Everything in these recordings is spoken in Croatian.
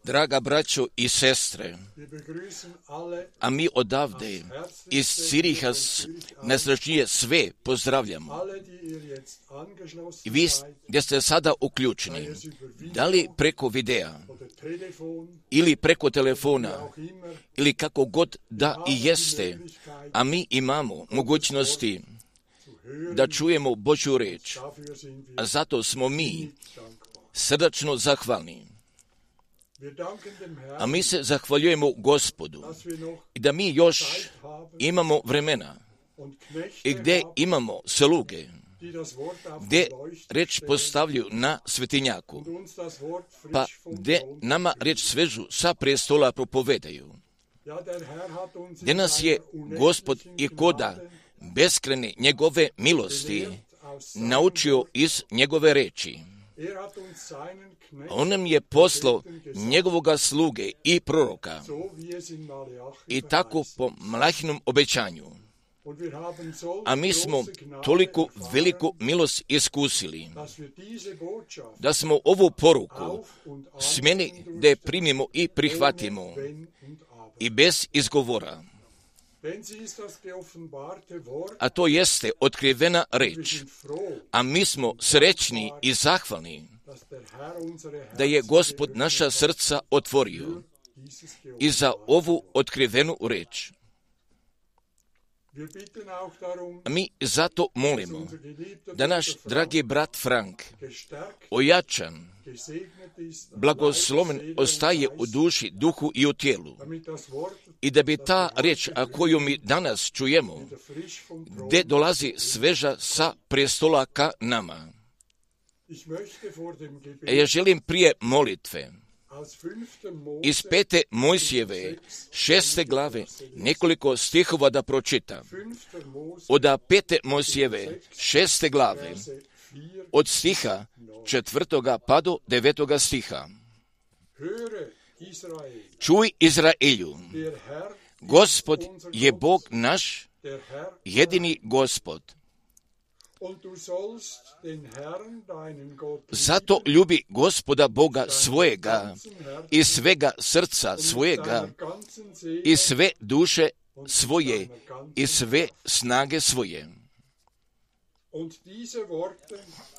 Draga braćo i sestre, a mi odavde iz Ciriha najsrečnije sve pozdravljamo. I vi gdje ste sada uključeni, da li preko videa ili preko telefona ili kako god da i jeste, a mi imamo mogućnosti da čujemo Božju riječ, a zato smo mi srdačno zahvalni. A mi se zahvaljujemo Gospodu i da mi još imamo vremena i gdje imamo sluge, gdje riječ postavljaju na svetinjaku, pa gdje nama riječ svežu sa prestola propovedaju. Gdje nas je Gospod i koda beskrajne njegove milosti naučio iz njegove reči. On nam je poslao njegovoga sluge i proroka i tako po Malahinom obećanju. A mi smo toliko veliku milost iskusili da smo ovu poruku smjeli da je primimo i prihvatimo i bez izgovora. A to jeste otkrivena reč. A mi smo srećni i zahvalni da je Gospod naša srca otvorio i za ovu otkrivenu reč. Mi zato molimo da naš dragi brat Frank ojačan, blagosloven ostaje u duši, duhu i u tijelu i da bi ta riječ, a koju mi danas čujemo, gdje dolazi sveža sa prestola ka nama. Ja želim prije molitve iz 5. Mojsijeve 6. glave nekoliko stihova da pročitam. Od 5. Mojsijeve 6. glave od stiha 4. pa do 9. stiha. Čuj Izraelju, Gospod je Bog naš, jedini Gospod. Zato ljubi Gospoda Boga svojega i svega srca svojega i sve duše svoje i sve snage svoje.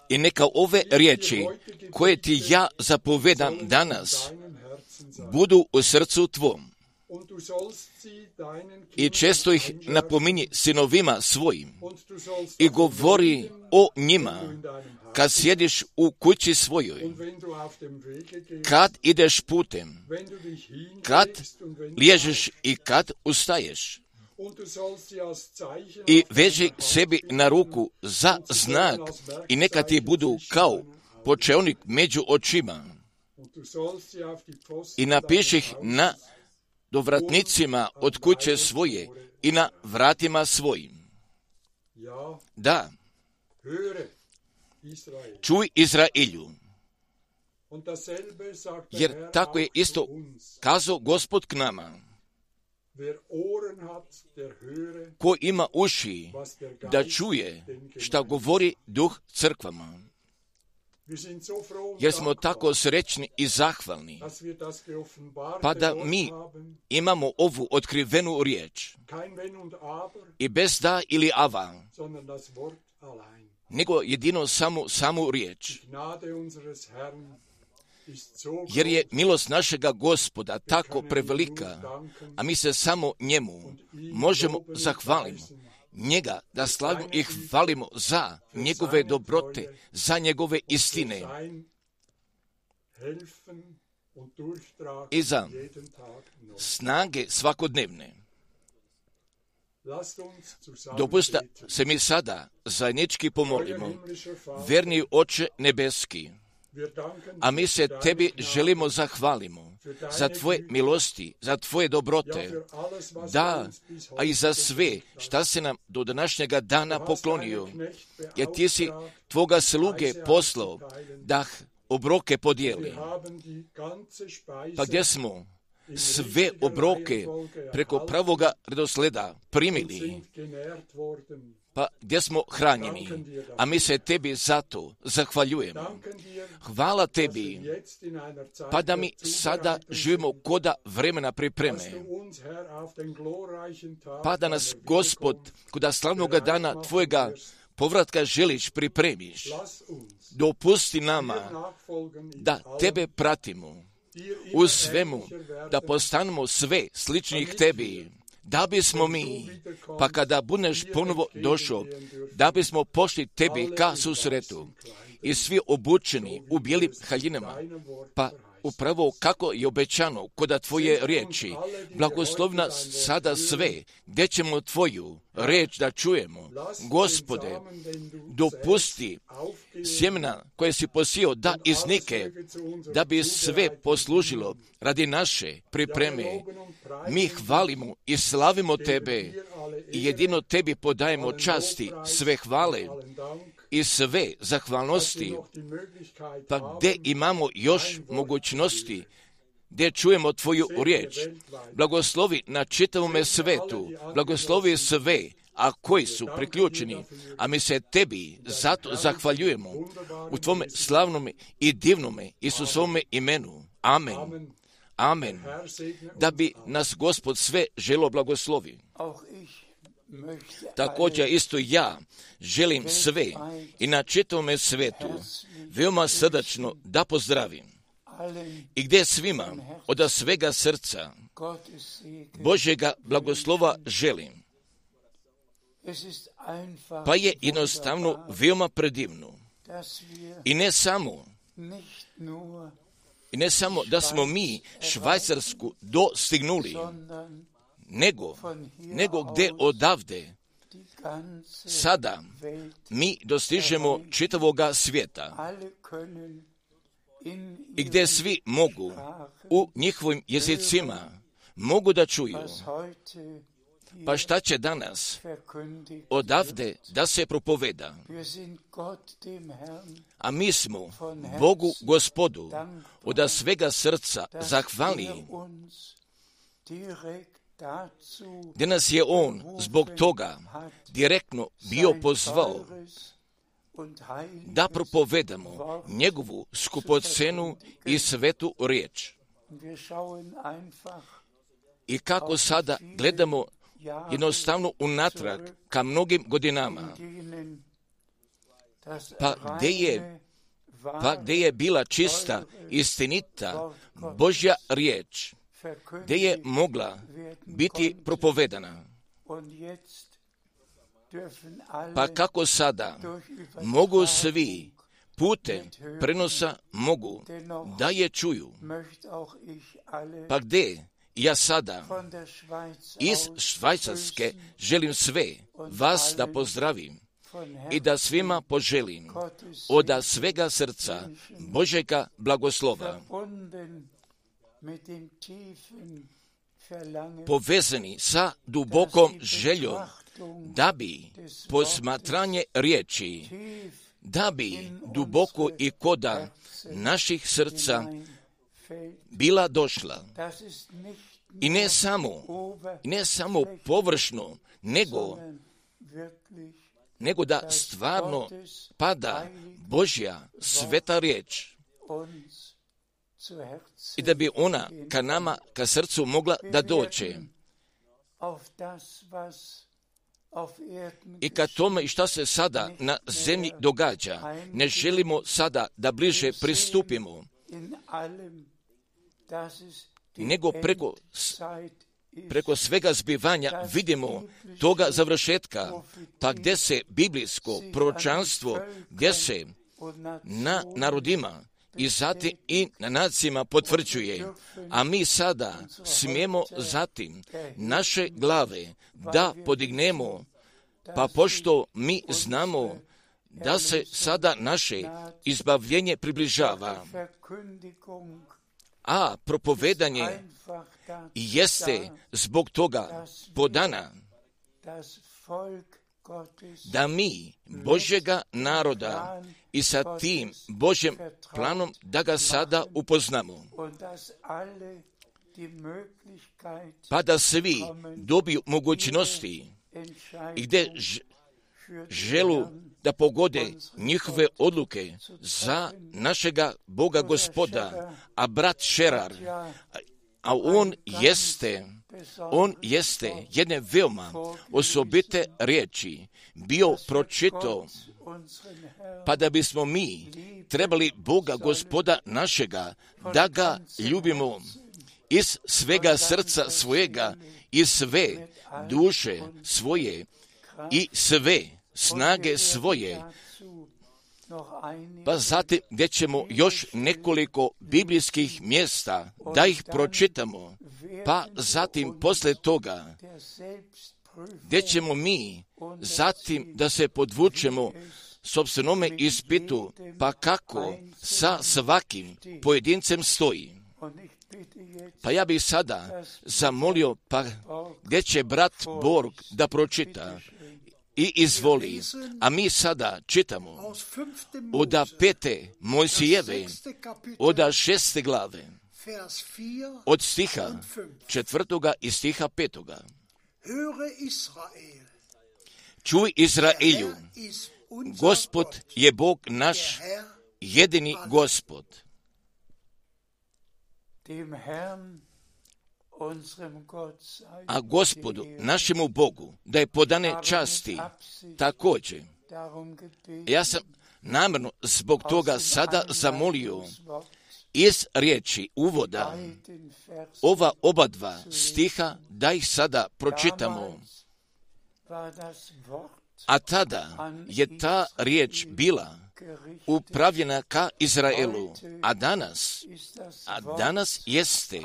I neka ove riječi koje ti ja zapovedam danas budu u srcu tvom. I često ih napominji sinovima svojim i govori o njima kad sjediš u kući svojoj, kad ideš putem, kad liježeš i kad ustaješ. I veži sebi na ruku za znak i neka ti budu kao počeonik među očima. I napiši ih na dovratnicima od kuće svoje i na vratima svojim. Da, čuj Izraelju, jer tako je isto kazao Gospod k nama. Ko ima uši da čuje šta govori Duh crkvama. Jer smo tako srećni i zahvalni, pa da mi imamo ovu otkrivenu riječ. I bez da ili ava, nego jedino samu riječ. Jer je milost našega Gospoda tako prevelika, a mi se samo njemu možemo zahvaliti. Njega da slavimo i hvalimo za njegove dobrote, za njegove istine i za snage svakodnevne. Dopusta se mi sada zajednički pomolimo. Verni Oče nebeski, a mi se Tebi želimo zahvalimo za Tvoje milosti, za Tvoje dobrote, da, a i za sve šta se nam do današnjega dana poklonio, jer Ti si Tvoga sluge poslao da obroke podijeli. Pa gdje smo sve obroke preko pravoga redosleda primili, pa gdje smo hranjeni, a mi se Tebi zato zahvaljujemo. Hvala Tebi, pa da mi sada živimo koda vremena pripreme, pa da nas, Gospod, koda slavnoga dana Tvojega povratka želiš pripremiš. Dopusti nama da Tebe pratimo u svemu, da postanemo sve sličnih Tebi, da bismo mi, pa kada budeš ponovo došao, da bismo pošli Tebi ka susretu i svi obučeni u bijelim haljinama, pa upravo kako je obećano koda Tvoje riječi, blagoslovi nas sada sve, gdje ćemo Tvoju riječ da čujemo. Gospode, dopusti sjemena koje si posijao da iznike, da bi sve poslužilo radi naše pripreme. Mi hvalimo i slavimo Tebe i jedino Tebi podajemo časti, sve hvale i sve zahvalnosti, pa gdje imamo još mogućnosti, gdje čujemo Tvoju riječ. Blagoslovi na čitavome svetu, blagoslovi sve, a koji su priključeni, a mi se Tebi zato zahvaljujemo u Tvome slavnome i divnome Isusovome imenu. Amen. Amen. Da bi nas Gospod sve želo blagoslovi. Također isto ja želim sve i na čitavome svetu veoma srdačno da pozdravim i gdje svima od svega srca Božjega blagoslova želim. Pa je jednostavno veoma predivno. I ne samo da smo mi Švajcarsku dostignuli, nego gdje odavde sada mi dostižemo čitavoga svijeta i gdje svi mogu u njihovim jezicima mogu da čuju. Pa šta će danas odavde da se propoveda? A mi smo Bogu Gospodu od svega srca zahvalni, gdje nas je On zbog toga direktno bio pozvao da propovedamo njegovu skupocenu i svetu riječ. I kako sada gledamo jednostavno unatrag ka mnogim godinama, pa gdje je bila čista, istinita Božja riječ, gdje je mogla biti propovedana. Pa kako sada mogu svi putem prenosa mogu da je čuju. Pa gdje ja sada iz Švajcarske želim sve vas da pozdravim i da svima poželim od svega srca Božjega blagoslova, povezani sa dubokom željom da bi posmatranje riječi, da bi duboko i koda naših srca bila došla. I ne samo površno, nego da stvarno pada Božja sveta riječ i da bi ona ka nama, ka srcu mogla da dođe. I ka tome šta se sada na zemlji događa, ne želimo sada da bliže pristupimo, nego preko svega zbivanja vidimo toga završetka, pa gdje se biblijsko proročanstvo, gdje se na narodima i zatim i na nacijama potvrđuje. A mi sada smijemo zatim naše glave da podignemo, pa pošto mi znamo da se sada naše izbavljenje približava, a propovedanje jeste zbog toga podana da mi Božjega naroda i sa tim Božjem planom da ga sada upoznamo, pa da svi dobiju mogućnosti i gdje želu da pogode njihove odluke za našega Boga Gospoda, a brat Šerar, a on jeste jedne veoma osobite riječi bio pročitao, pa da bismo mi trebali Boga Gospoda našega da ga ljubimo iz svega srca svojega, iz sve duše svoje i sve snage svoje. Pa zatim gdje ćemo još nekoliko biblijskih mjesta da ih pročitamo, pa zatim posle toga gdje ćemo mi zatim da se podvučemo sopstvenome ispitu, pa kako sa svakim pojedincem stoji. Pa ja bih sada zamolio, pa gdje će brat Borg da pročita i izvoli, a mi sada čitamo od 5. Mojsijeve, od 6. glave, od stiha 4. i stiha 5. Čuj Izraelju, Gospod je Bog naš, jedini Gospod. A Gospodu, našemu Bogu, da je podane časti također. Ja sam namjerno zbog toga sada zamolio iz riječi uvoda ova oba dva stiha da ih sada pročitamo. A tada je ta riječ bila upravljena ka Izraelu, a danas jeste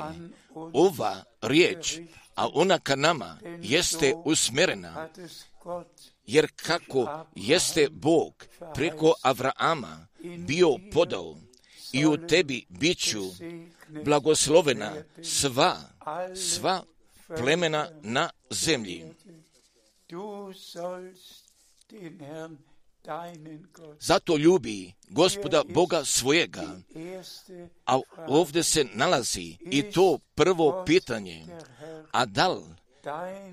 ova riječ, a ona ka nama jeste usmjerena, jer kako jeste Bog preko Avrama bio podao i u tebi biću blagoslovena sva plemena na zemlji. Zato ljubi Gospoda Boga svojega. A ovdje se nalazi i to prvo pitanje. A da li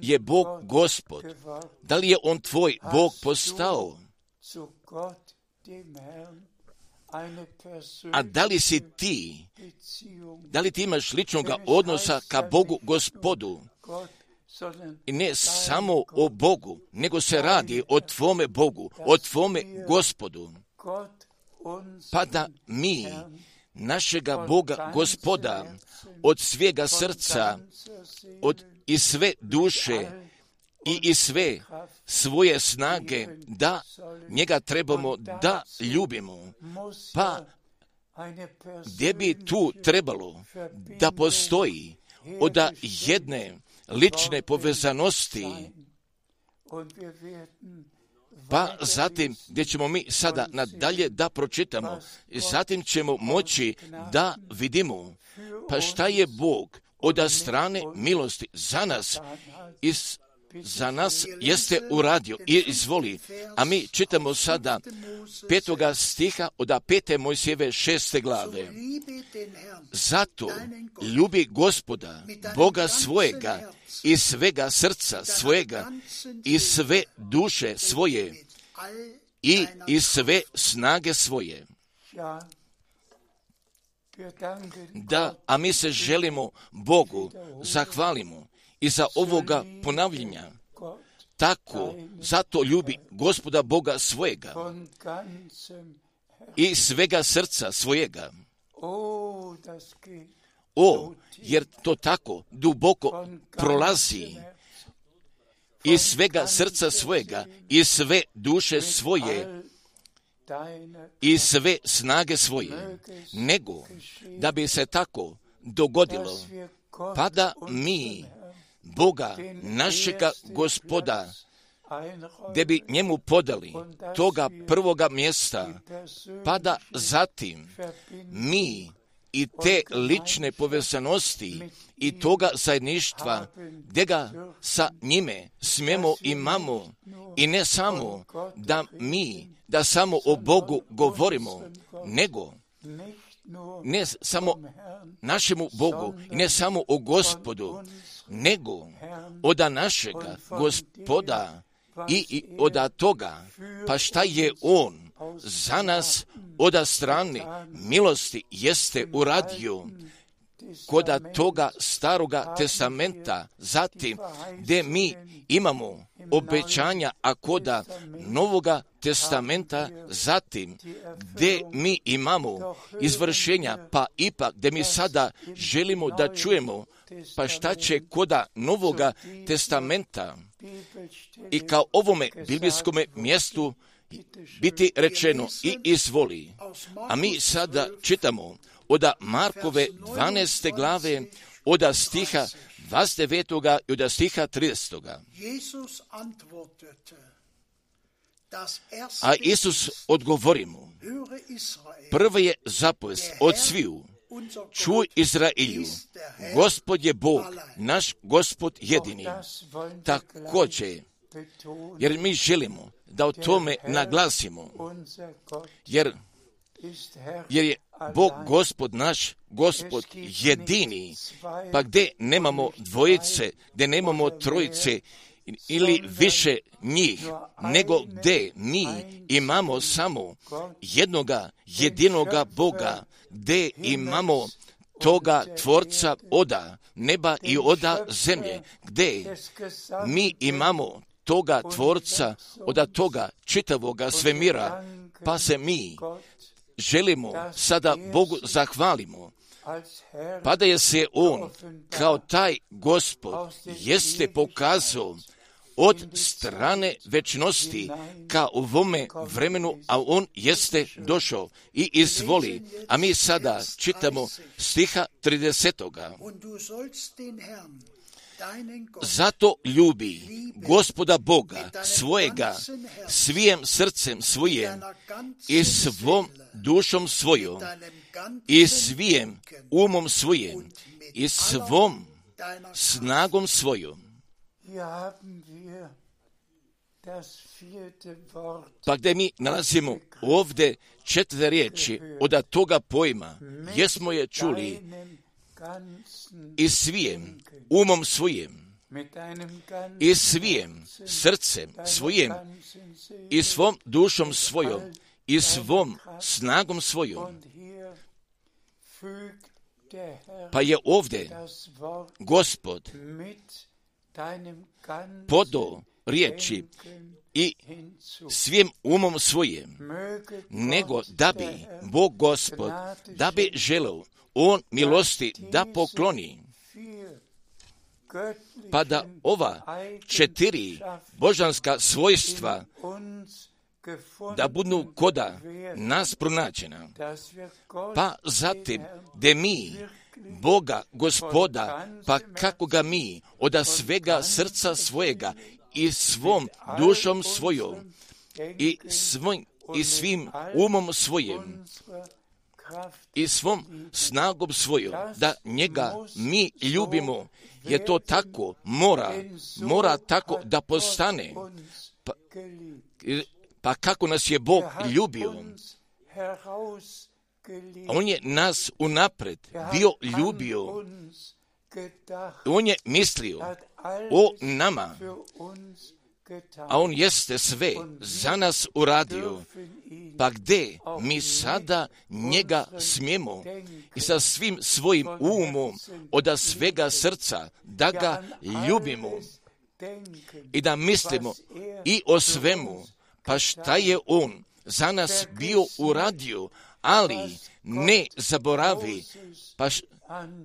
je Bog Gospod? Da li je On tvoj Bog postao? A da li si ti? Da li ti imaš ličnog odnosa ka Bogu Gospodu? I ne samo o Bogu, nego se radi o tvome Bogu, o tvome Gospodu. Pa da mi našega Boga Gospoda od svega srca, i sve duše i iz sve svoje snage, da njega trebamo da ljubimo. Pa gdje bi tu trebalo da postoji od jedne lične povezanosti, pa zatim gdje ćemo mi sada nadalje da pročitamo, zatim ćemo moći da vidimo pa šta je Bog od strane milosti za nas za nas jeste uradio i izvoli. A mi čitamo sada 5. stiha od 5. Mojsijeve 6. glave. Zato ljubi Gospoda, Boga svojega, iz svega srca svojega, iz sve duše svoje i iz sve snage svoje. Da, a mi se želimo Bogu zahvalimo i za ovoga ponavljanja. Tako, zato ljubi Gospoda Boga svojega i svega srca svojega. Jer to tako duboko prolazi i svega srca svojega i sve duše svoje i sve snage svoje, nego da bi se tako dogodilo, pa da mi Boga, našega Gospoda, gdje bi njemu podali toga prvoga mjesta, pa da zatim mi i te lične povezanosti i toga zajedništva, gdje ga sa njime smijemo imamo, i ne samo da samo o Bogu govorimo, nego ne samo našemu Bogu i ne samo o Gospodu, nego od našega Gospoda i od toga, pa šta je On za nas od strane milosti jeste uradio kod toga staroga testamenta, zatim gdje mi imamo obećanja, a kod novoga testamenta, zatim gdje mi imamo izvršenja, pa ipak gdje mi sada želimo da čujemo, pa šta će kod novoga testamenta i kao ovome biblijskome mjestu biti rečeno i izvoli. A mi sada čitamo od Markove 12. glave, od stiha 29. i od stiha 30. A Isus odgovori mu, prva je zapovest od sviju, čuj Izrailju, Gospod je Bog, naš Gospod jedini. Također, jer mi želimo da o tome naglasimo, jer je Bog Gospod naš, Gospod jedini, pa gdje nemamo dvojice, gdje nemamo trojice ili više njih, nego gdje mi imamo samo jednoga jedinoga Boga, gdje imamo toga Tvorca oda neba i oda zemlje, gdje mi imamo toga Tvorca od toga čitavoga svemira, pa se mi želimo sada Bogu zahvalimo, pa da je se On kao taj Gospod jeste pokazao od strane večnosti ka ovome vremenu, a On jeste došao i izvoli. A mi sada čitamo stiha 30. Zato ljubi Gospoda Boga svojega svijem srcem svojim i svom dušom svojom i svijem umom svojim i svom snagom svojom. Pa gdje mi nalazimo ovdje 4 riječi od toga pojma, jesmo je čuli i svijem umom svojim i svijem srcem svojim i svom dušom svojom i svom snagom svojom. Pa je ovdje Gospod podao riječi i svim umom svojim, nego da bi Bog Gospod, da bi želeo On milosti da pokloni, pa da ova 4 božanska svojstva da budu koda nas pronađena, pa zatim da mi Boga Gospoda, pa kako ga mi od svega srca svojega i svom dušom svojom i svim umom svojim i svom snagom svojom, da njega mi ljubimo, je to tako, mora tako da postane. Pa kako nas je Bog ljubio? On je nas unapred bio ljubio. On je mislio o nama, a On jeste sve za nas uradio. Pa gdje mi sada njega smijemo i sa svim svojim umom od svega srca da ga ljubimo i da mislimo i o svemu, pa šta je On za nas bio uradio, ali ne zaboravi,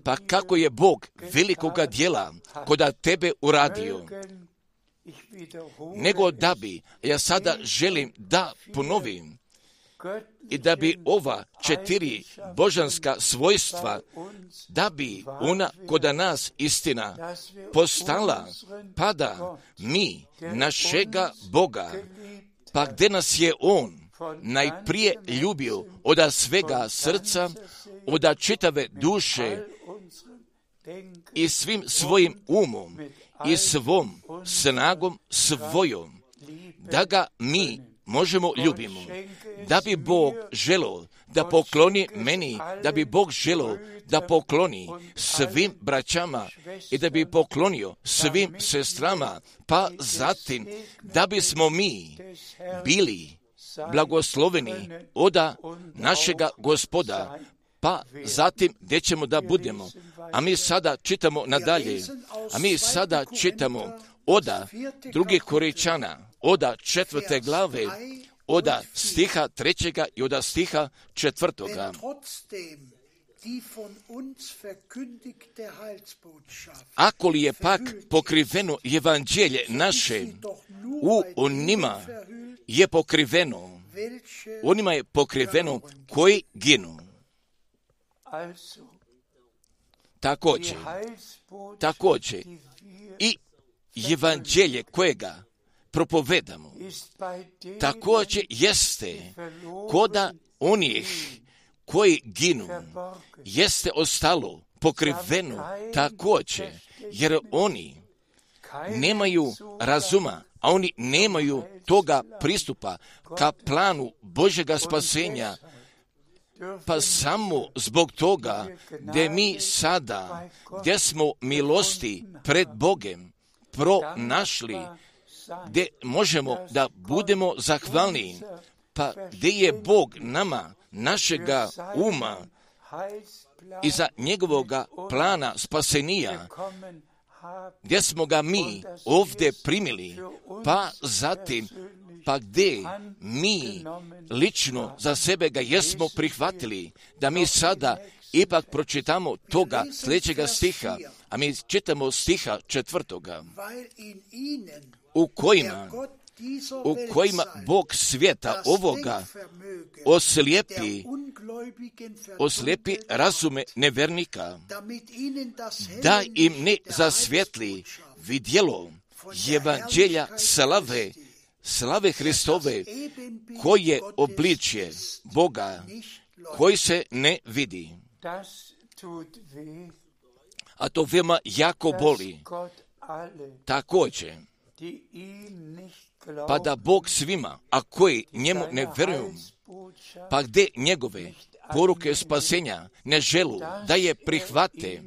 pa kako je Bog velikoga djela kod tebe uradio. Nego da bi, ja sada želim da ponovim, i da bi ova 4 božanska svojstva, da bi ona kod nas istina postala, pa da mi našega Boga, pa gdje nas je On najprije ljubio od svega srca, od čitave duše i svim svojim umom i svom snagom svojom, da ga mi možemo ljubimo. Da bi Bog želio da pokloni meni, da bi Bog želio da pokloni svim braćama i da bi poklonio svim sestrama, pa zatim da bismo mi bili blagosloveni od našega Gospoda, pa zatim gdje ćemo da budemo. A mi sada čitamo nadalje, od 2. Korinčana, od 4. glave, od stiha 3. i od stiha 4. Ako li je pak pokriveno evanđelje naše, onima je pokriveno koji ginu. Također i evanđelje kojega propovedamo, također jeste koda onih koji ginu, jeste ostalo pokriveno također, jer oni nemaju razuma, a oni nemaju toga pristupa ka planu Božjega spasenja, pa samo zbog toga gdje mi sada, gdje smo milosti pred Bogem pronašli, gdje možemo da budemo zahvalni, pa gdje je Bog nama, našega uma i za njegovoga plana spasenija, gdje smo ga mi ovdje primili, pa zatim, pa gdje mi lično za sebe ga jesmo prihvatili, da mi sada ipak pročitamo toga sljedećega stiha, a mi čitamo stiha 4. u kojima Bog svijeta ovoga oslijepi razume nevernika, da im ne zasvjetli vidjelo evanđelja slave Hristove, koje obličje Boga, koji se ne vidi. A to veoma jako boli. Također, pa da Bog svima, a koji njemu ne vjeruju, pa gdje njegove poruke spasenja ne želu da je prihvate,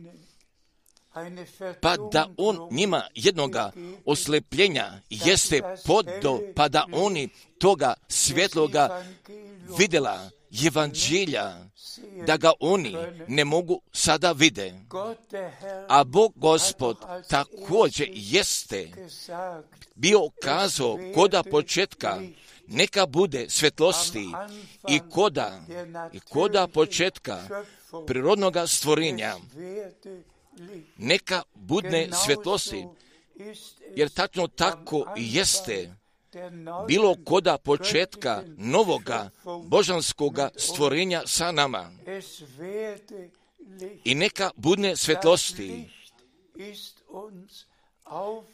pa da on njima jednoga oslepljenja jeste podo, pa da oni toga svjetloga vidjela evanđelja, da ga oni ne mogu sada vide. A Bog Gospod također jeste bio kazao koda početka, neka bude svjetlosti i koda početka prirodnoga stvorenja, neka budne svjetlosti, jer tačno tako jeste bilo koda početka novoga božanskoga stvorenja sa nama. I neka budne svjetlosti.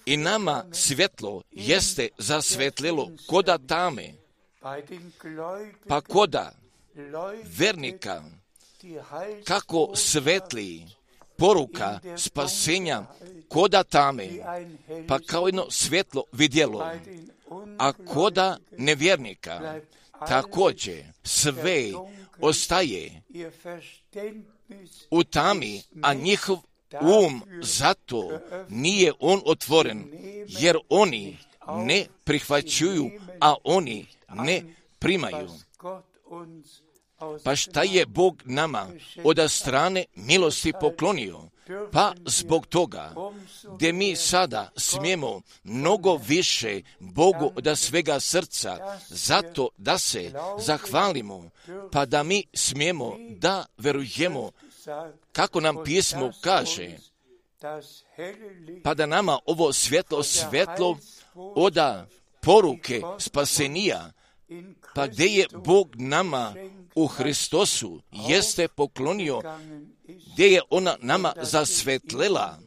I nama svjetlo jeste zasvetlilo koda tame, pa koda vernika, kako svetli poruka spasenja koda tame, pa kao jedno svjetlo vidjelo, a koda nevjernika također sve ostaje u tami, a njihov zato nije on otvoren, jer oni ne prihvaćuju, a oni ne primaju. Pa šta je Bog nama od strane milosti poklonio? Pa zbog toga, gdje mi sada smijemo mnogo više Bogu od svega srca, zato da se zahvalimo, pa da mi smijemo da verujemo, kako nam pismo kaže, pa da nama ovo svjetlo od poruke spasenija, Pa gdje je Bog nama u Hristosu jeste poklonio, gdje je ona nama zasvetlela,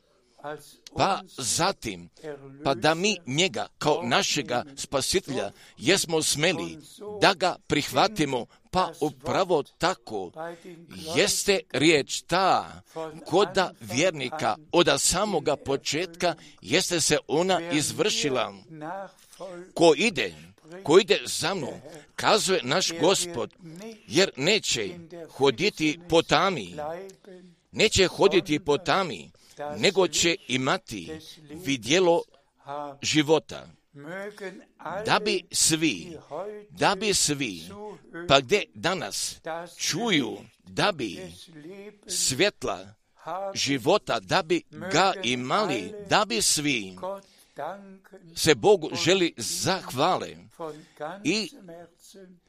pa zatim, pa da mi njega kao našega spasitelja jesmo smeli da ga prihvatimo, pa upravo tako jeste riječ ta koda vjernika od samoga početka jeste se ona izvršila. Ko ide za mnom, kazuje naš Gospod, jer neće hoditi po tami, nego će imati vidjelo života. Da bi svi, pa gdje danas čuju, da bi svjetla života, da bi ga imali, da bi svi se Bogu želi zahvale i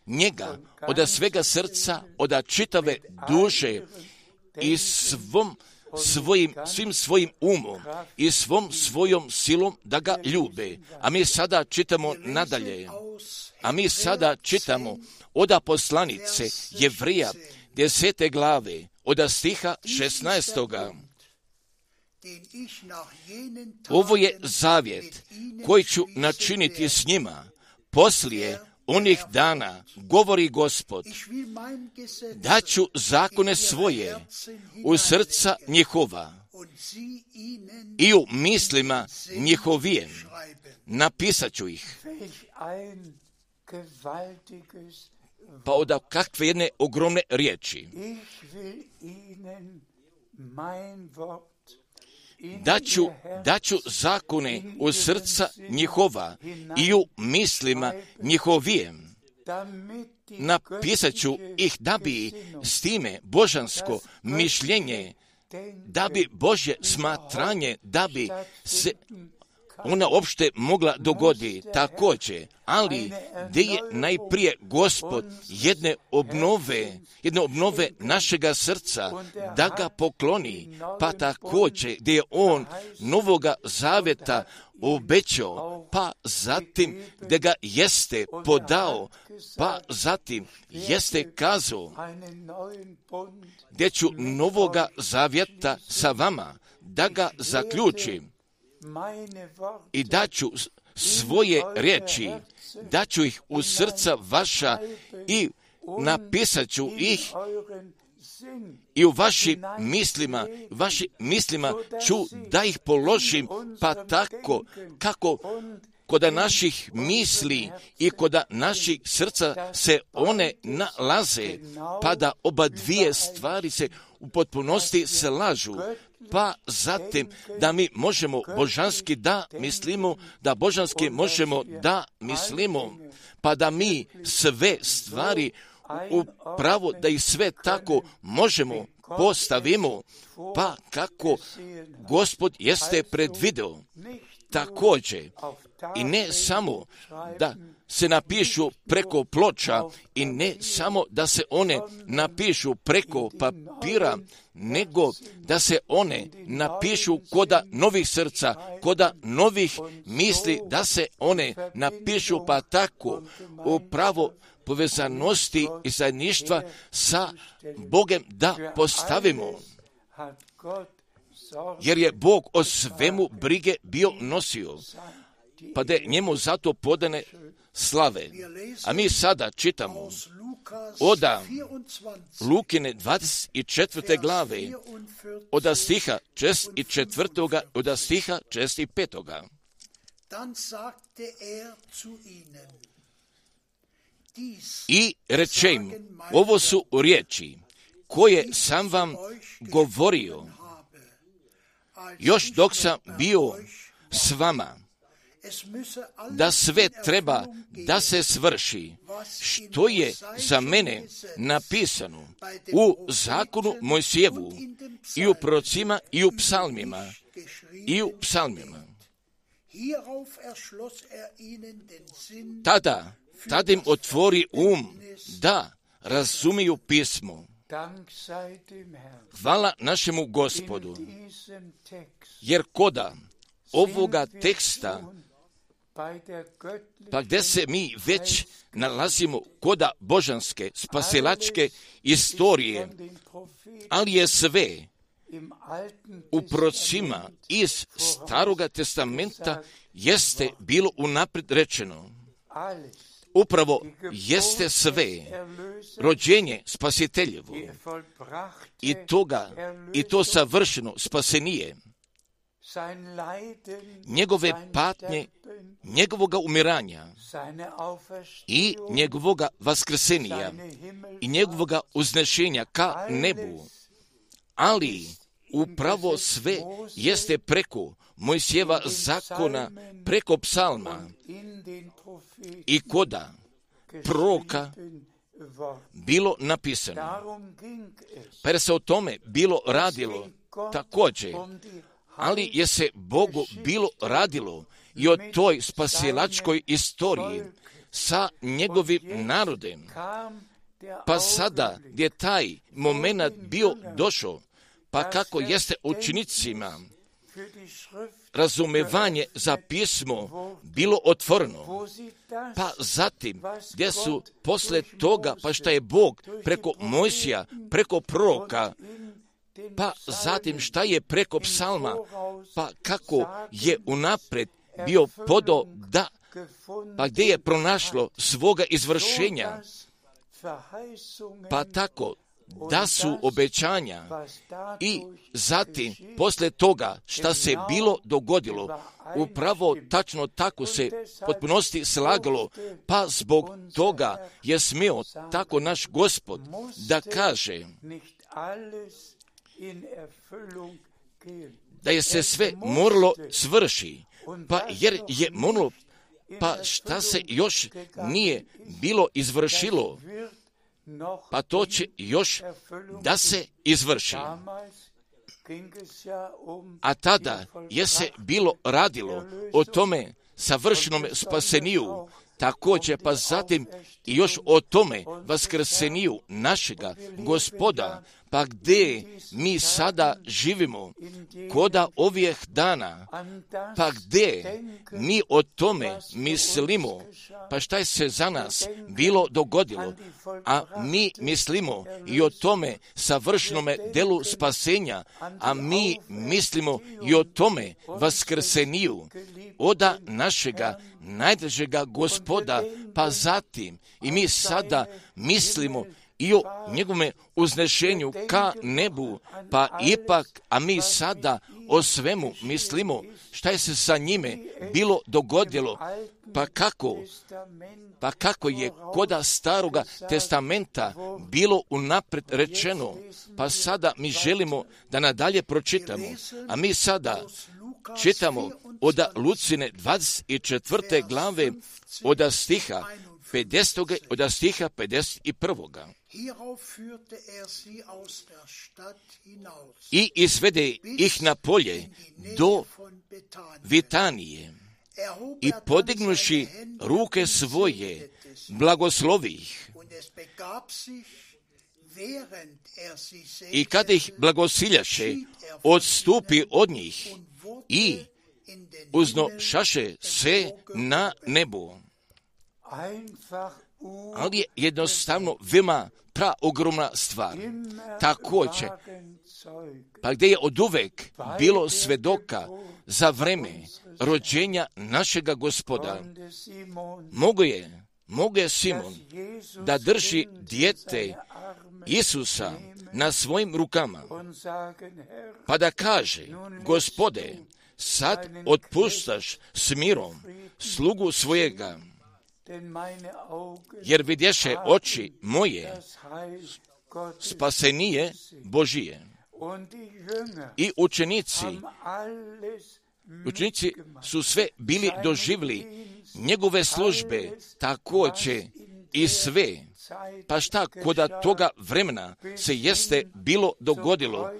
njega od svega srca, od čitave duše i svim svojim umom i svojom silom da ga ljube. A mi sada čitamo nadalje. Od poslanice Jevrija 10. glave, od stiha 16. Ovo je zavjet koji ću načiniti s njima poslije onih dana, govori Gospod, da ću zakone svoje u srca njihova i u mislima njihovijem napisat ću ih. Pa od kakve jedne ogromne riječi. Da ću zakone u srca njihova i u mislima njihovijem napisat ću ih, da bi s time božansko mišljenje, da bi Božje smatranje, da bi se ona uopšte mogla dogoditi također, ali gdje je najprije Gospod jedne obnove našega srca, da ga pokloni, pa također gdje je on novoga zavjeta obećao, pa zatim gdje ga jeste podao, pa zatim jeste kazao, gdje ću novoga zavjeta sa vama, da ga zaključim i daću svoje riječi, daću ih u srca vaša i napisat ću ih i u vašim mislima ću da ih položim, pa tako kako kod naših misli i kod naših srca se one nalaze, pa da oba dvije stvari se u potpunosti slažu, pa zatim da mi možemo božanski da mislimo, da božanski možemo da mislimo, pa da mi sve stvari upravo da ih sve tako možemo postavimo, pa kako Gospod jeste predvideo. Također, i ne samo da se napišu preko ploča i ne samo da se one napišu preko papira, nego da se one napišu koda novih srca, koda novih misli, da se one napišu, pa tako upravo povezanosti i zajedništva sa Bogom da postavimo. Jer je Bog o svemu brige bio nosio, pa da je njemu zato podane slave. A mi sada čitamo od Lukine 24. glave, od stiha 4. od stiha 5. I reče im, ovo su riječi koje sam vam govorio još dok sam bio s vama, da sve treba da se svrši, što je za mene napisano u zakonu Mojsijevu i u prorocima i u psalmima. Tada im otvori da razumiju pismo. Hvala našemu Gospodu, jer koda ovoga teksta Pa gdje se mi već nalazimo koda božanske, spasilačke istorije, ali je sve u prorocima iz Staroga testamenta jeste bilo unaprijed rečeno. Upravo jeste sve rođenje spasiteljevo i to savršeno spasenije, njegove patnje, njegovoga umiranja i njegovoga vaskrsenija i njegovoga uznešenja ka nebu. Ali upravo sve jeste preko Mojsijeva zakona, preko psalma i koda proroka bilo napisano. Pa jer se o tome bilo radilo također, ali je se Bogu bilo radilo i o toj spasilačkoj istoriji sa njegovim narodem. Pa sada gdje taj moment bio došao, pa kako jeste učenicima razumevanje za pismo bilo otvoreno, pa zatim gdje su posle toga, pa šta je Bog preko Mojsija, preko proroka, pa zatim šta je preko psalma, pa kako je unaprijed bio podao da, pa gdje je pronašlo svoga izvršenja, pa tako da su obećanja i zatim posle toga šta se bilo dogodilo, upravo tačno tako se potpunosti slagalo, pa zbog toga je smio tako naš Gospod da kaže da je se sve moralo svrši, pa jer je moralo, pa šta se još nije bilo izvršilo, pa to će još da se izvrši. A tada je se bilo radilo o tome savršenom spaseniju, također pa zatim i još o tome vaskrseniju našega Gospoda, pa gdje mi sada živimo koda ovih dana, pa gdje mi o tome mislimo, pa šta je se za nas bilo dogodilo, a mi mislimo i o tome savršenome delu spasenja, a mi mislimo i o tome vaskrseniju oda našega najdražega Gospoda, pa zatim i mi sada mislimo i o njegovome uznešenju ka nebu, pa ipak, a mi sada o svemu mislimo šta je se sa njime bilo dogodilo, pa kako je koda Staroga testamenta bilo unaprijed rečeno, pa sada mi želimo da nadalje pročitamo, a mi sada čitamo od Lucine 24. glave od stiha 50. od stiha 51. I izvede ih na polje do Vitanije i podignuši ruke svoje, blagoslovi ih. I kada ih blagosiljaše, odstupi od njih i uznošaše se na nebo. Ali je jednostavno veoma praogromna stvar. Također, pa gdje je oduvek bilo svedoka za vreme rođenja našega Gospoda, mogo je Simon da drži dijete Isusa na svojim rukama, pa da kaže: Gospode, sad otpuštaš s mirom slugu svojega, jer vidješe oči moje spasenije Božije. I učenici su sve bili doživjeli njegove službe, također i sve. Pa šta koda toga vremena se jeste bilo dogodilo,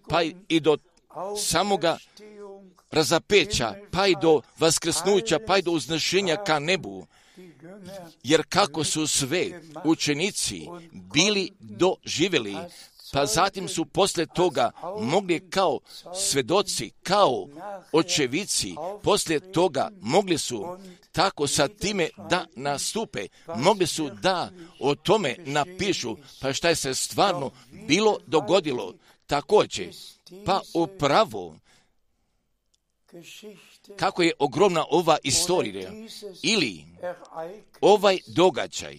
pa i do samoga razapeća, pa i do vaskrsnuća, pa i do uznešenja ka nebu, jer kako su sve učenici bili doživjeli, pa zatim su poslije toga mogli kao svedoci, kao očevici, poslije toga mogli su tako sa time da nastupe, mogli su da o tome napišu, pa šta je se stvarno bilo dogodilo također. Pa upravo kako je ogromna ova istorija ili ovaj događaj,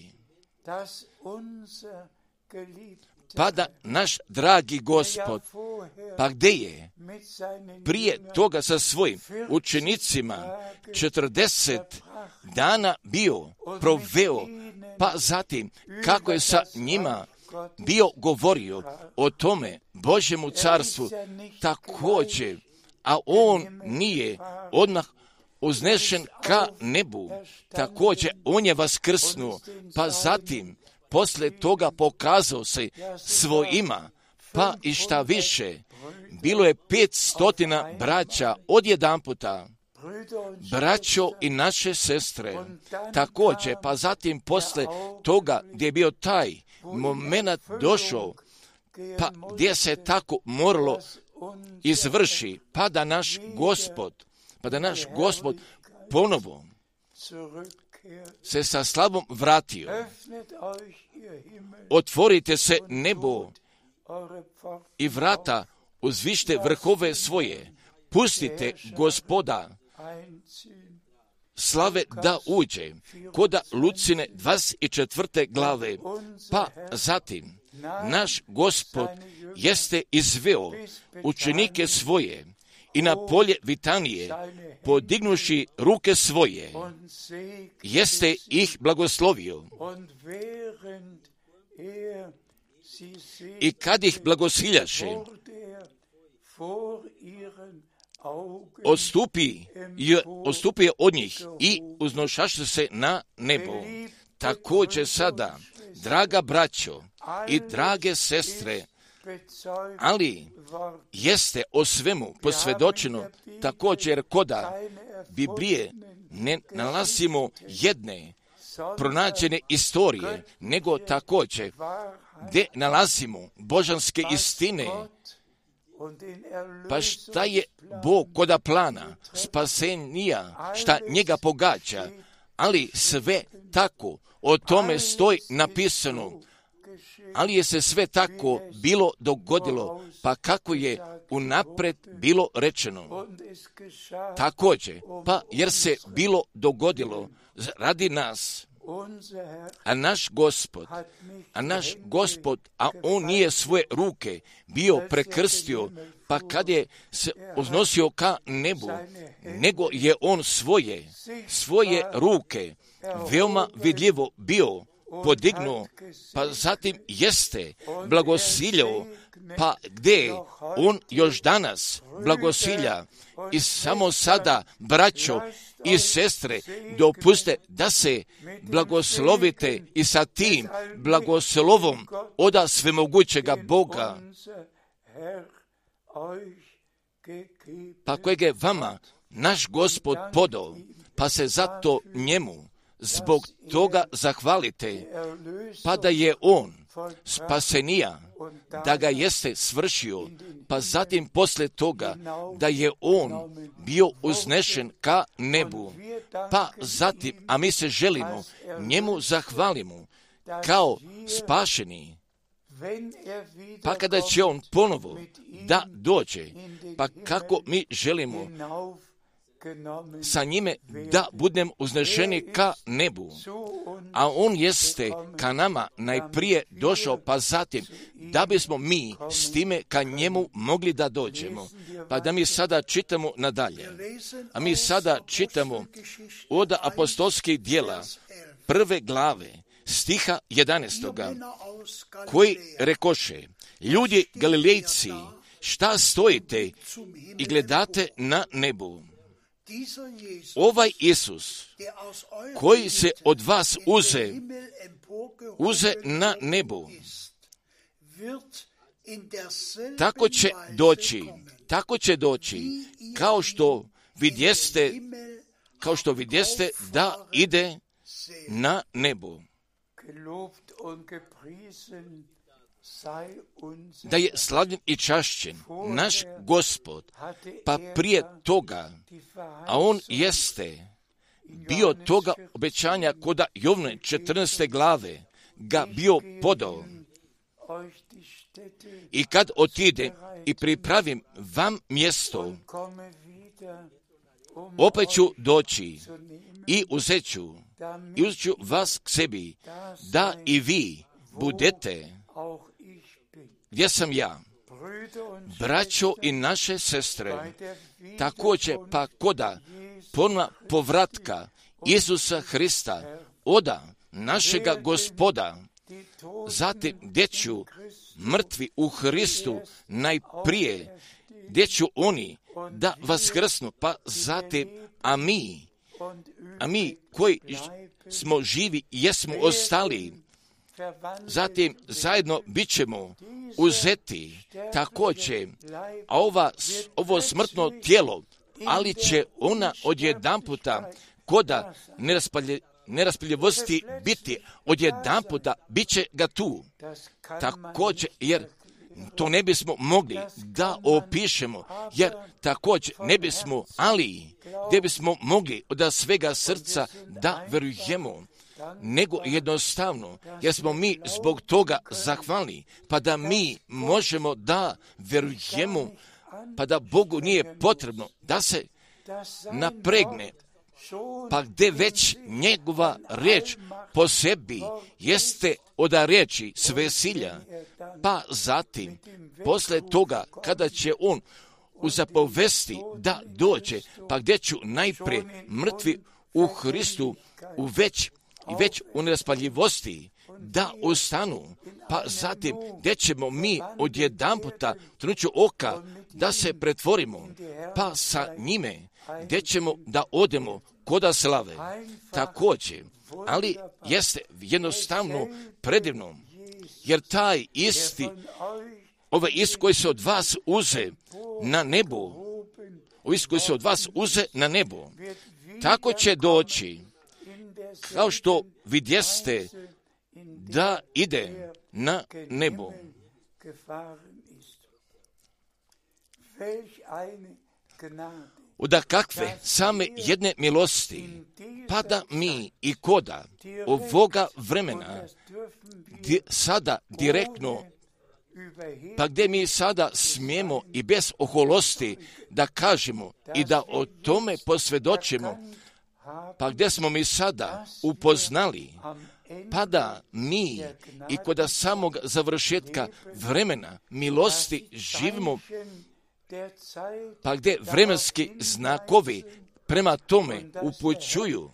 pa da naš dragi Gospod, pa gdje je prije toga sa svojim učenicima 40 dana bio proveo, pa zatim kako je sa njima bio govorio o tome Božjemu carstvu također, a on nije odmah uznešen ka nebu, također on je vaskrsnuo, pa zatim poslije toga pokazao se svojima, pa i šta više, bilo je 500 braća odjedanputa, braćo i naše sestre, također, pa zatim poslije toga gdje je bio taj moment došao, pa gdje se tako moralo izvrši, pa da naš Gospod ponovo se sa slavom vratio. Otvorite se nebo i vrata uzvište vrhove svoje, pustite Gospoda slave da uđe, koda Lucine 24. glave, pa zatim naš Gospod jeste izveo učenike svoje i na polje Vitanije, podignuši ruke svoje, jeste ih blagoslovio. I kad ih blagosiljaše, odstupio od njih i uznošaše se na nebo. Također sada, draga braćo i drage sestre, ali jeste o svemu posvjedočeno također koda Biblije ne nalazimo jedne pronađene istorije, nego također gdje nalazimo božanske istine. Pa šta je Bog koda plana spasenija, šta njega pogađa, ali sve tako o tome stoji napisano, ali je se sve tako bilo dogodilo, pa kako je unaprijed bilo rečeno. Također, pa jer se bilo dogodilo radi nas, a naš Gospod, a on nije svoje ruke bio prekrstio, pa kad je se uznosio ka nebu, nego je on svoje ruke veoma vidljivo bio podignuo, pa zatim jeste blagosiljao, pa gdje on još danas blagosilja. I samo sada, braćo i sestre, dopuste da se blagoslovite i sa tim blagoslovom oda svemogućega Boga, pa kojeg je vama naš Gospod podao, pa se zato njemu zbog toga zahvalite, pa da je on spasenija, da ga jeste svršio, pa zatim poslije toga da je on bio uznešen ka nebu, pa zatim, a mi se želimo njemu zahvalimo kao spašeni, pa kada će on ponovo da dođe, pa kako mi želimo sa njime da budem uznešeni ka nebu, a on jeste ka nama najprije došao, pa zatim da bismo mi s time ka njemu mogli da dođemo. Pa da mi sada čitamo nadalje, a mi sada čitamo od apostolskih djela 1. glave stiha 11. koji rekoše: ljudi Galilejci, šta stojite i gledate na nebu? Ovaj Isus, koji se od vas uze na nebu, tako će doći, kao što vidjeste da ide na nebu. da je slavljen i čašćen naš Gospod, pa prije toga, a on jeste bio toga obećanja koda Jovne 14. glave ga bio podao. I kad otide i pripravim vam mjesto, opet ću doći i uzet ću vas k sebi, da i vi budete gdje sam ja. Braćo i naše sestre, također pa koda ponovna povratka Isusa Hrista, oda našega Gospoda, zatim gdje ću mrtvi u Hristu najprije, gdje ću oni da vaskrsnu, pa zatim, a mi koji smo živi i jesmo ostali, zatim zajedno bit ćemo uzeti također, a ovo smrtno tijelo, ali će ona odjedanputa koda neraspaljivosti biti, odjedanputa bit će ga tu. Također, jer to ne bismo mogli da opišemo, jer također ne bismo, ali gdje bismo mogli od svega srca da verujemo, nego jednostavno, jer smo mi zbog toga zahvalni, pa da mi možemo da verujemo, pa da Bogu nije potrebno da se napregne, pa gdje već njegova riječ po sebi jeste od riječi svesilja, pa zatim, posle toga, kada će on uzapovesti da dođe, pa gdje ću najprije mrtvi u Hristu već u neraspaljivosti da ostanu, pa zatim gdje ćemo mi odjedanputa trenuću oka da se pretvorimo, pa sa njime gdje ćemo da odemo koda slave. Također, ali jeste jednostavno predivno, jer taj isti, ovaj ist koji se od vas uze na nebo, tako će doći, kao što vidjeste da ide na nebo. Od kakve same jedne milosti, pa da mi i koda ovoga vremena sada direktno, pa gdje mi sada smijemo i bez oholosti da kažemo i da o tome posvjedočimo, pa gdje smo mi sada upoznali, pa da mi i kod samog završetka vremena milosti živimo, pa gdje vremenski znakovi prema tome upućuju,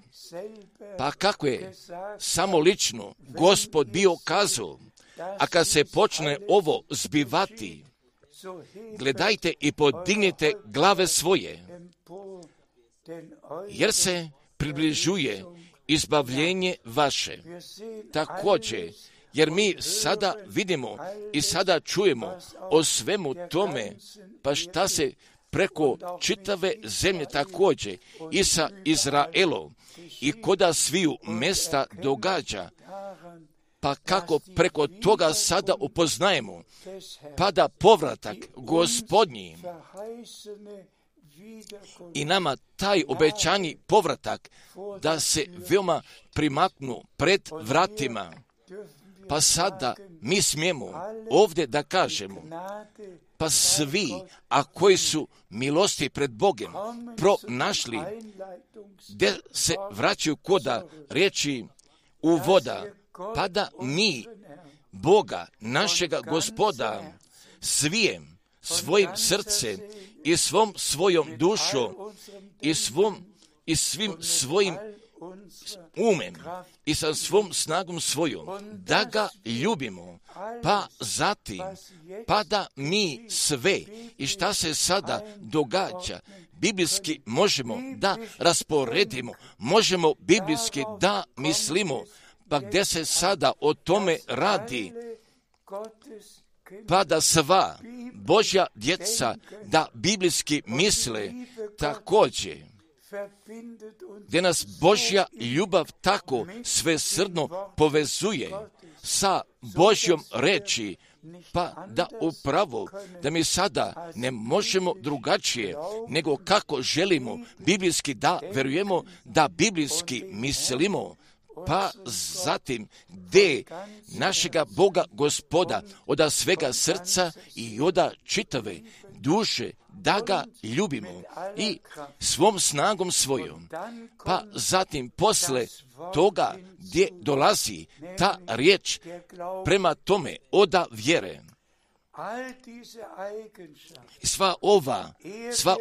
pa kako je samo lično Gospod bio kazao, a kad se počne ovo zbivati, gledajte i podignite glave svoje, jer se približuje izbavljenje vaše. Također, jer mi sada vidimo i sada čujemo o svemu tome, pa šta se preko čitave zemlje također i sa Izraelom i koda sviju mesta događa, pa kako preko toga sada upoznajemo, pa da povratak Gospodnji i nama taj obećani povratak da se veoma primaknu pred vratima, pa sada mi smijemo ovdje da kažemo, pa svi, a koji su milosti pred Bogom pronašli, gdje se vraćaju koda riječi uvoda, pa da mi Boga, našega Gospoda, svijem svojim srcem i svom svojom dušom i svim svojim umem i sa svom snagom svojom, da ga ljubimo, pa zatim, pa da mi sve i šta se sada događa, biblijski možemo da rasporedimo, možemo biblijski da mislimo, pa gdje se sada o tome radi, pa da sva Božja djeca da biblijski misle također, gdje nas Božja ljubav tako svesrdno povezuje sa Božjom reči, pa da upravo, da mi sada ne možemo drugačije, nego kako želimo, biblijski da verujemo, da biblijski mislimo, pa zatim gdje našega Boga Gospoda od svega srca i od čitave duše da ga ljubimo i svom snagom svojom, pa zatim posle toga gdje dolazi ta riječ prema tome oda vjere. Sva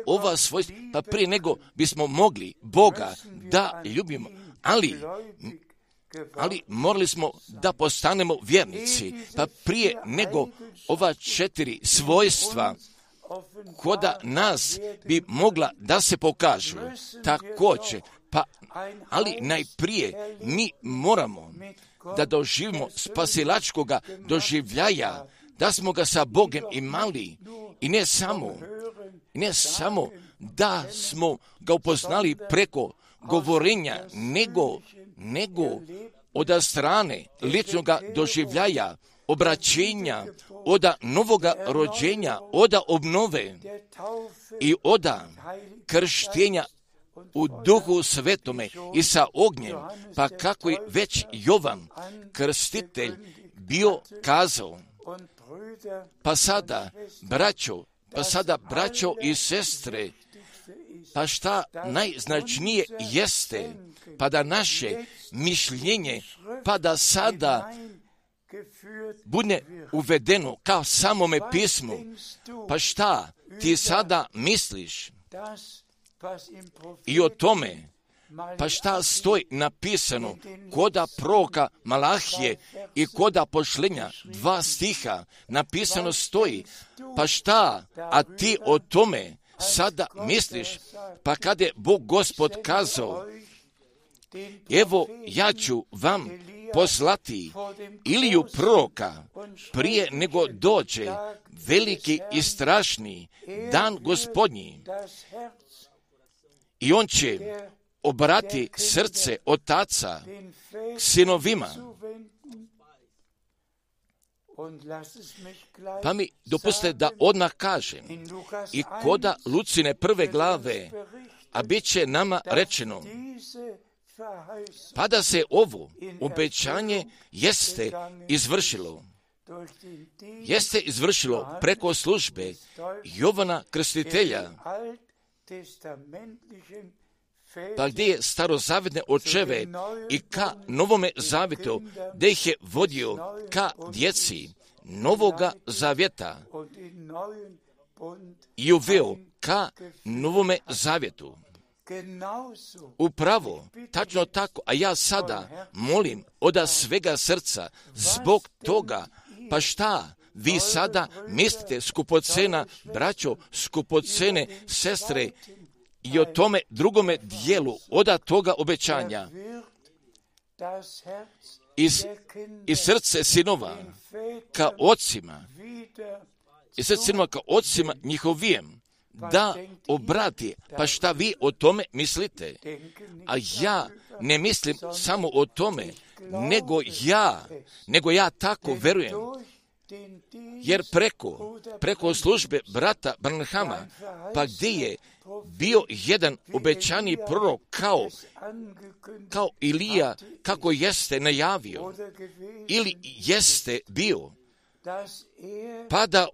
ova svojstva, pa prije nego bismo mogli Boga da ljubimo, ali morali smo da postanemo vjernici, pa prije nego ova 4 svojstva koda nas bi mogla da se pokažu također, ali najprije mi moramo da doživimo spasilačkoga doživljaja, da smo ga sa Bogom imali i ne samo da smo ga upoznali preko govorenja, nego od strane ličnoga doživljaja, obraćenja, od novoga rođenja, od obnove i od krštenja u Duhu Svetome i sa ognjem, pa kako je već Jovan krstitelj bio kazao. Pa sada, braćo i sestre, pa šta najznačnije jeste, pa da naše mišljenje, pa da sada bude uvedeno kao samome pismu. Pa šta ti sada misliš i o tome, pa šta stoji napisano koda proroka Malahije i koda pošlenja 2 stiha napisano stoji, pa šta, a ti o tome sada misliš, pa kada je Bog Gospod kazao, evo ja ću vam poslati Iliju proroka prije nego dođe veliki i strašni dan Gospodnji, i on će obrati srce otaca sinovima. Pa mi dopustite da odmah kažem, i koda Lucine 1. glave, a bit će nama rečeno, pa da se ovo obećanje jeste izvršilo preko službe Jovana Krstitelja, pa gdje je starozavetne očeve i ka Novome zavjetu, gdje ih je vodio ka djeci Novoga zavjeta i uveo ka Novome zavjetu. Upravo, tačno tako, a ja sada molim od svega srca zbog toga, pa šta vi sada mislite, skupocena braćo, skupocene sestre, i o tome drugome dijelu od toga obećanja i srce sinova ka ocima njihovijem da obrati. Pa šta vi o tome mislite? A ja ne mislim samo o tome, nego ja tako verujem. Jer preko službe brata Branhama, pa gdje je bio jedan obećani prorok kao Ilija, kako jeste najavio, ili jeste bio, pa da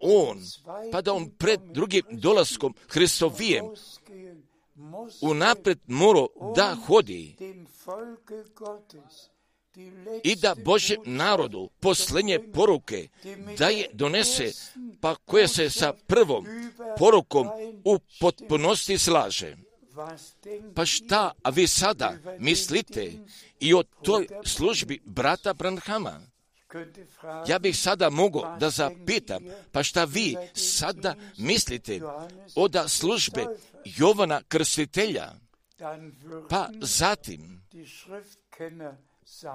on pred drugim dolaskom Hristovijem unaprijed morao da hodi i da Božjem narodu posljednje poruke da je donese, pa koje se sa prvom porukom u potpunosti slaže. Pa šta, a vi sada mislite i o toj službi brata Branhama? Ja bih sada mogao da zapitam, pa šta vi sada mislite od službe Jovana Krstitelja? Pa zatim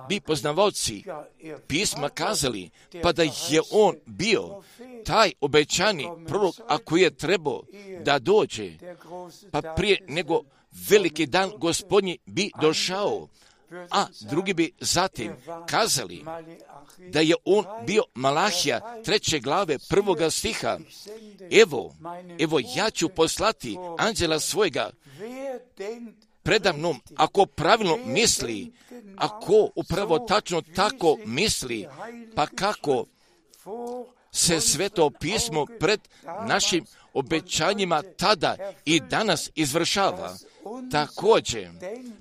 bi poznavaoci pisma kazali, pa da je on bio taj obećani prorok, ako je trebao da dođe, pa prije nego veliki dan Gospodnji bi došao, a drugi bi zatim kazali da je on bio Malahija 3. glave 1. stiha. Evo ja ću poslati anđela svojega predamnom, ako pravilno misli, ako upravo tačno tako misli, pa kako se Sveto pismo pred našim obećanjima tada i danas izvršava. Također,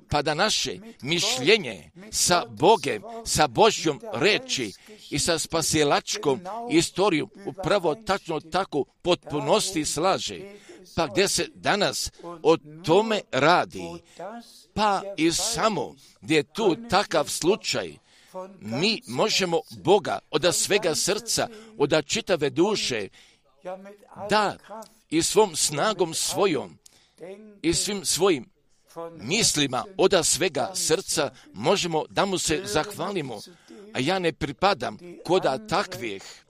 pa da naše mišljenje sa Bogem, sa Božjom reči i sa spasilačkom istorijom upravo tačno tako potpunosti slaže, pa gdje se danas o tome radi, pa i samo gdje je tu takav slučaj, mi možemo Boga od svega srca, od čitave duše, da i svom snagom svojom i svim svojim mislima od svega srca možemo da mu se zahvalimo. A ja ne pripadam koda takvih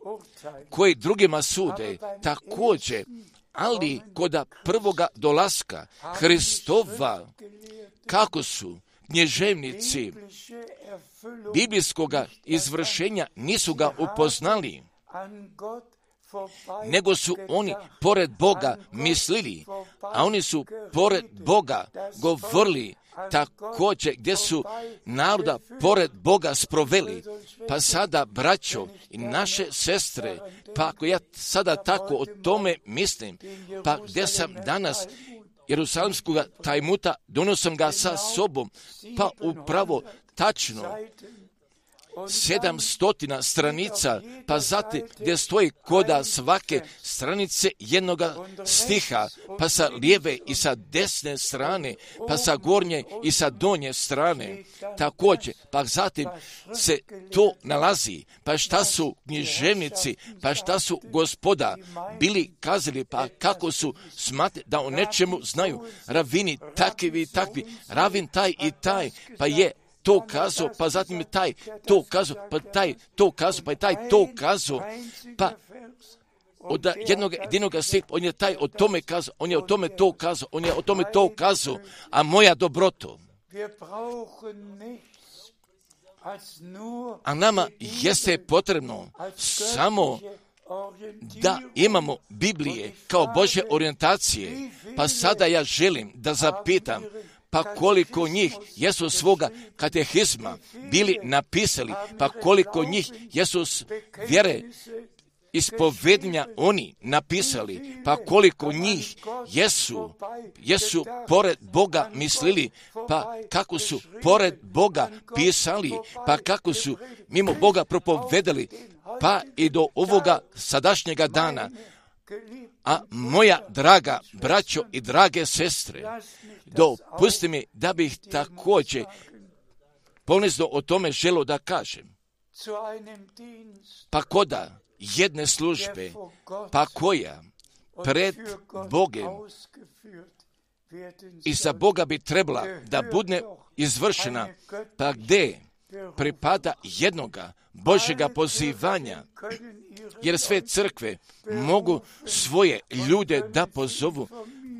koji drugima sude, također, ali koda prvoga dolaska Hristova, kako su knježevnici biblijskoga izvršenja nisu ga upoznali, nego su oni pored Boga mislili, a oni su pored Boga govorili, također gdje su naroda pored Boga sproveli. Pa sada, braćo i naše sestre, pa ako ja sada tako o tome mislim, pa gdje sam danas Jerusalimskog tajmuta, donosim ga sa sobom, pa upravo tačno 700 stranica, pa zatim gdje stoji koda svake stranice jednoga stiha, pa sa lijeve i sa desne strane, pa sa gornje i sa donje strane. Također, pa zatim se to nalazi, pa šta su književnici, pa šta su gospoda bili kazali, pa kako su smatrali da o nečemu znaju, ravini takvi i takvi, ravin taj i taj, pa je to kazao, pa zatim je taj to kazao, pa taj to kazao, pa je taj to kazao, pa od jednog stiha, on je taj o tome kazao, on je o tome to kazao, on je o tome to kazao, a moja dobroto. A nama jeste potrebno samo da imamo Biblije kao Božje orijentacije, pa sada ja želim da zapitam, pa koliko njih jesu svoga katehizma bili napisali, pa koliko njih jesu vjere ispovedanja oni napisali, pa koliko njih jesu pored Boga mislili, pa kako su pored Boga pisali, pa kako su mimo Boga propovedali, pa i do ovoga sadašnjega dana. A moja draga braćo i drage sestre, dopusti mi da bih također ponizno o tome želio da kažem. Pa koda jedne službe, pa koja pred Bogem i za Boga bi trebala da bude izvršena, pa gdje pripada jednoga Božjega pozivanja, jer sve crkve mogu svoje ljude da pozovu,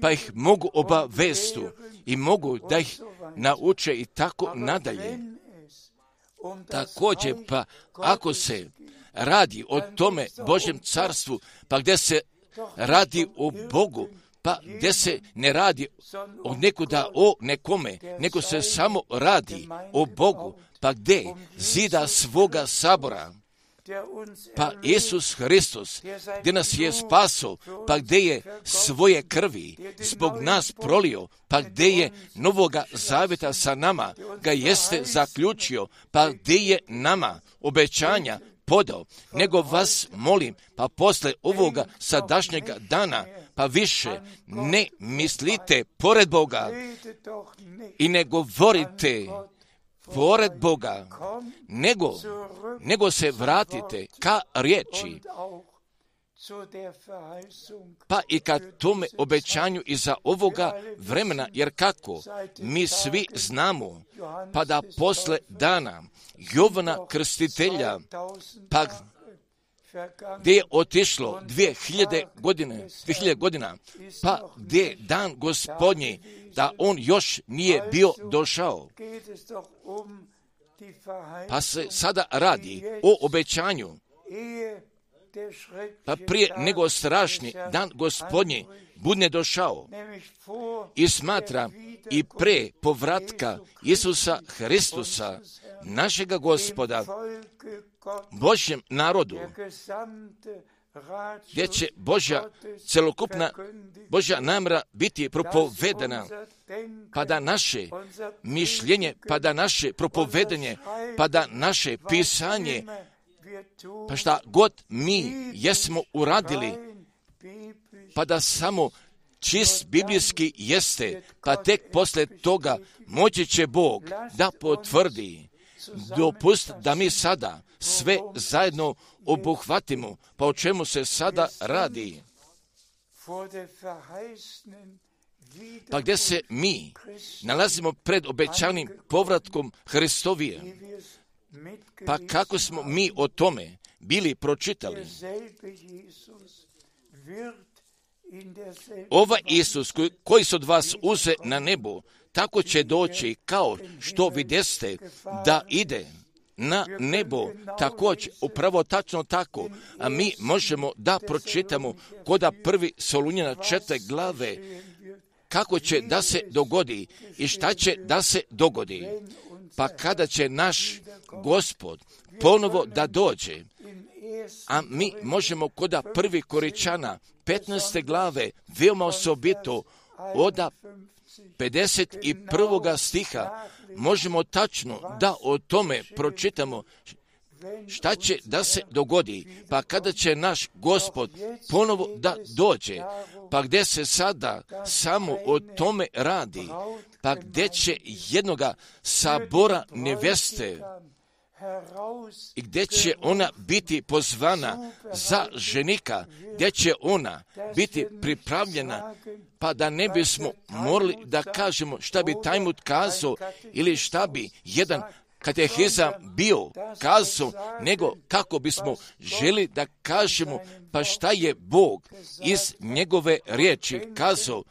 pa ih mogu obavestu i mogu da ih nauče i tako nadalje. Također, pa ako se radi o tome Božjem carstvu, pa gdje se radi o Bogu, pa gdje se ne radi o nekuda o nekome, nego se samo radi o Bogu, pa gdje zida svoga sabora, pa Isus Hristos, gdje nas je spaso, pa gdje je svoje krvi zbog nas prolio, pa gdje je novoga zavjeta sa nama ga jeste zaključio, pa gdje je nama obećanja podao, nego vas molim, pa posle ovoga sadašnjega dana, pa više ne mislite pored Boga i ne govorite pored Boga, nego se vratite ka riječi, pa i ka tome obećanju iza ovoga vremena, jer kako mi svi znamo, pa da posle dana Jovana Krstitelja, pa gdje je otišlo 2000 godina, pa gdje je dan Gospodnji, da on još nije bio došao. Pa se sada radi o obećanju, pa prije nego strašni dan Gospodnji bude došao i smatra i pre povratka Isusa Hristusa, našega Gospoda, Božjem narodu, gdje će celokupna Božja namjera biti propovedana, pa da naše mišljenje, pa da naše propovedanje, pa da naše pisanje, pa šta god mi jesmo uradili, pa da samo čist biblijski jeste, pa tek posle toga moći će Bog da potvrdi. Dopust da mi sada sve zajedno obuhvatimo, pa o čemu se sada radi. Pa gdje se mi nalazimo pred obećanim povratkom Hristovije, pa kako smo mi o tome bili pročitali. Ovaj Isus koji se od vas uze na nebo, tako će doći kao što vidjeste da ide na nebo, također, upravo tačno tako, a mi možemo da pročitamo koda 1. Solunjana 4. glave, kako će da se dogodi i šta će da se dogodi. Pa kada će naš Gospod ponovo da dođe, a mi možemo koda 1. Koričana 15. glave veoma osobito od 51. stiha možemo tačno da o tome pročitamo šta će da se dogodi, pa kada će naš Gospod ponovo da dođe, pa gdje se sada samo o tome radi, pa gdje će jednoga sabora neveste i gdje će ona biti pozvana za ženika, gdje će ona biti pripravljena, pa da ne bismo morali da kažemo šta bi Talmud kazao ili šta bi jedan katehizam bio kazao, nego kako bismo želi da kažemo pa šta je Bog iz njegove riječi kazao,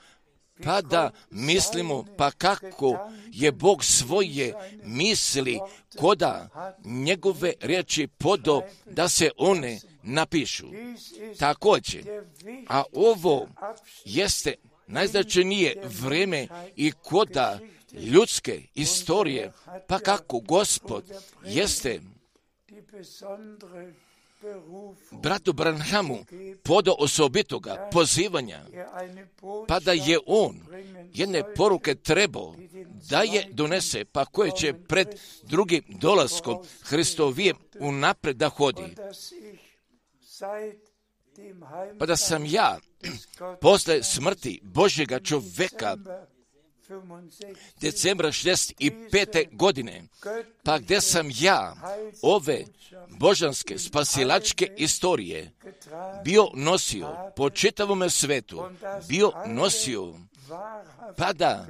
pa da mislimo pa kako je Bog svoje misli koda njegove riječi podo da se one napišu. Također, a ovo jeste najznačajnije vrijeme i koda ljudske istorije, pa kako Gospod jeste bratu Branhamu podo osobitoga pozivanja, pa da je on jedne poruke trebao da je donese, pa koje će pred drugim dolaskom Hristovijem unapred da hodi. Pa da sam ja posle smrti Božjega čoveka decembra 65. godine, pa gdje sam ja ove božanske spasilačke istorije bio nosio po čitavome svetu, bio nosio, pa da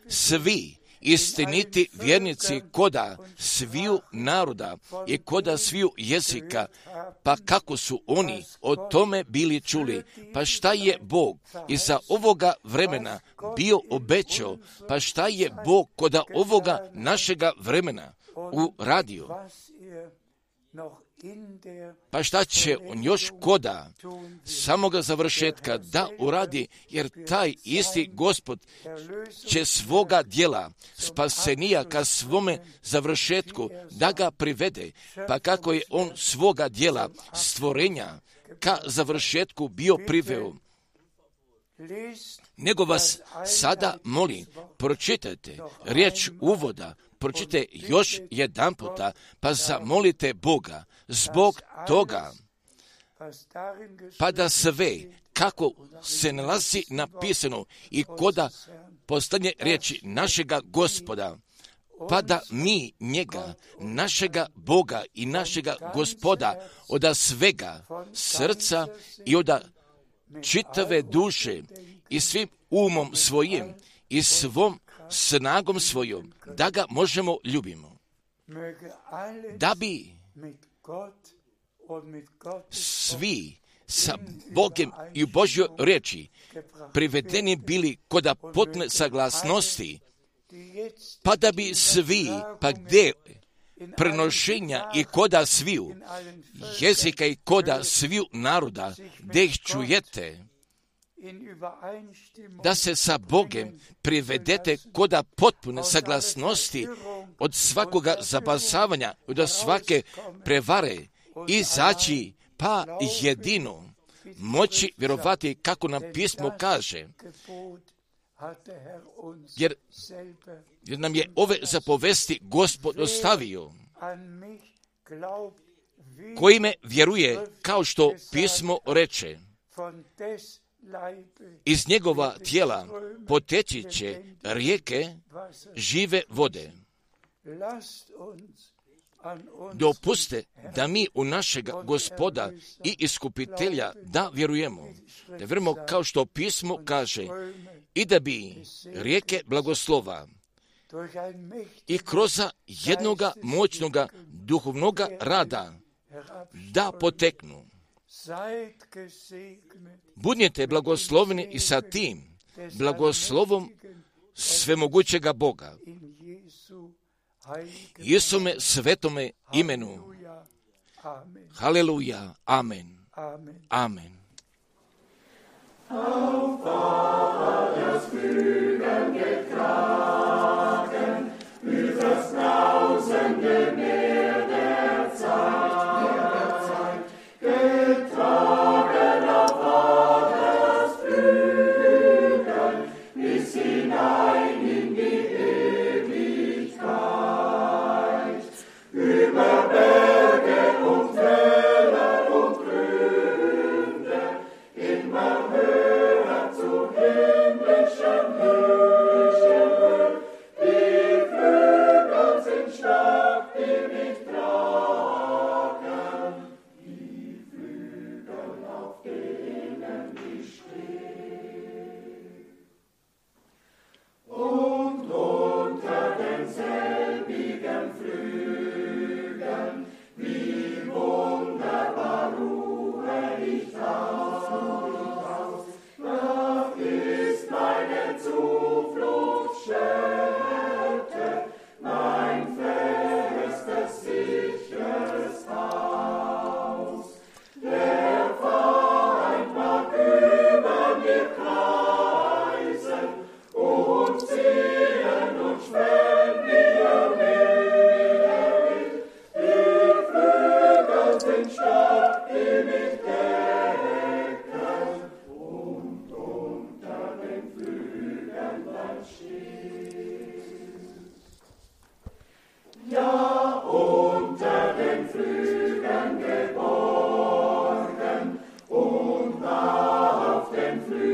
svi istiniti vjernici koda sviju naroda i koda sviju jezika, pa kako su oni o tome bili čuli, pa šta je Bog iza ovoga vremena bio obećao, pa šta je Bog koda ovoga našega vremena uradio, pa šta će on još koda samoga završetka da uradi, jer taj isti Gospod će svoga djela spasenija ka svome završetku da ga privede, pa kako je on svoga djela stvorenja ka završetku bio priveo. Nego vas sada molim, pročitajte riječ uvoda, pročitajte još jedan puta, pa zamolite Boga zbog toga, pa da sve kako se nalazi napisano i koda postanje riječi našega Gospoda, pa da mi njega, našega Boga i našega Gospoda od svega srca i od čitave duše i svim umom svojim i svom snagom svojom, da ga možemo ljubimo, da bi svi sa Bogom i u Božjoj riječi privedeni bili kod potpune saglasnosti, pa da bi svi, pa gdje prenošenja i koda sviju jezika i koda sviju naroda, gdje ih čujete, da se sa Bogom privedete koda potpune saglasnosti od svakoga zabasavanja, od svake prevare, izaći pa jedino moći vjerovati kako nam pismo kaže, jer nam je ove zapovesti Gospod ostavio, koji me vjeruje, kao što pismo reče, iz njegova tijela poteći će rijeke žive vode. Dopuste da mi u našega Gospoda i Iskupitelja da vjerujemo kao što pismo kaže, i da bi rijeke blagoslova i kroz jednoga moćnoga duhovnoga rada da poteknu. Budnite blagosloveni i sa tim blagoslovom svemogućega Boga, Isume svetome imenu. Haleluja. Amen. Amen. Auf Vaters Flügeln getragen, übers brausende Meer der Zeit, getragen auf Vaters Flügeln, bis hinein in die Ewigkeit, über Berge und Täler und Gründe, immer höher zu himmlischen Höhen. Die Flügel sind stark, die mich tragen, die Flügel, auf denen ich stehe. Und unter denselbigen Flügeln, wie wunderbar ruhe ich aus. Da ist meine Zufluchtsstätte, mein festes, sicheres Haus. Der Feind mag über mir kreisen und ziehen und schwellen, wie will. Die Flügel sind stark, die mich decken, und unter den Flügeln bleibt stehen. Ja, unter den Flügeln geborgen und auf den Flügeln